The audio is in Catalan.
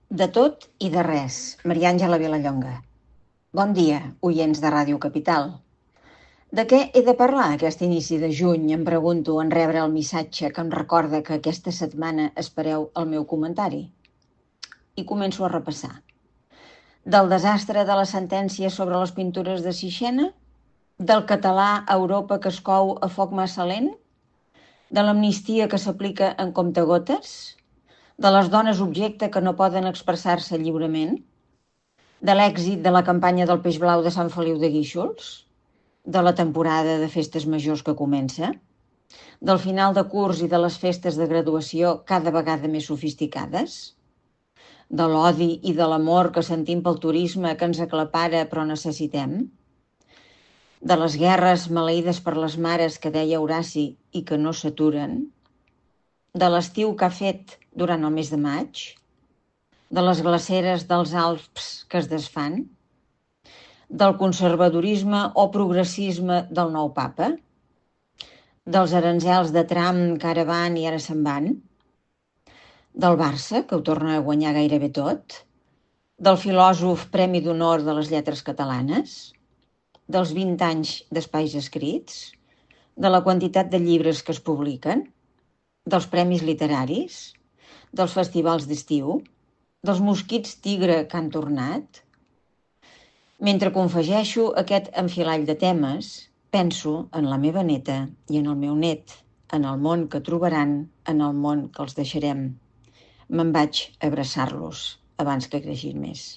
De tot i de res, Maria Àngela Vilallonga. Bon dia, oients de Ràdio Capital. De què he de parlar aquest inici de juny? Em pregunto en rebre el missatge que em recorda que aquesta setmana espereu el meu comentari. I començo a repassar. Del desastre de la sentència sobre les pintures de Sixena? Del català a Europa que es cou a foc massa lent? De l'amnistia que s'aplica en comptagotes? De les dones objecte que no poden expressar-se lliurement? De l'èxit de la campanya del peix blau de Sant Feliu de Guíxols? De la temporada de festes majors que comença? Del final de curs i de les festes de graduació cada vegada més sofisticades? De l'odi i de l'amor que sentim pel turisme que ens aclapara però necessitem? De les guerres maleïdes per les mares que deia Horaci i que no s'aturen? De l'estiu que ha fet durant el mes de maig? De les glaceres dels Alps que es desfan? Del conservadorisme o progressisme del nou papa? Dels aranzels de Trump que ara van i ara se'n van? Del Barça, que ho torna a guanyar gairebé tot? Del filòsof Premi d'Honor de les Lletres Catalanes? Dels 20 anys d'espais escrits? De la quantitat de llibres que es publiquen? Dels premis literaris? Dels festivals d'estiu? Dels mosquits tigre que han tornat? Mentre confegeixo aquest enfilall de temes, penso en la meva neta i en el meu net, en el món que trobaran, en el món que els deixarem. Me'n vaig a abraçar-los abans que creixin més.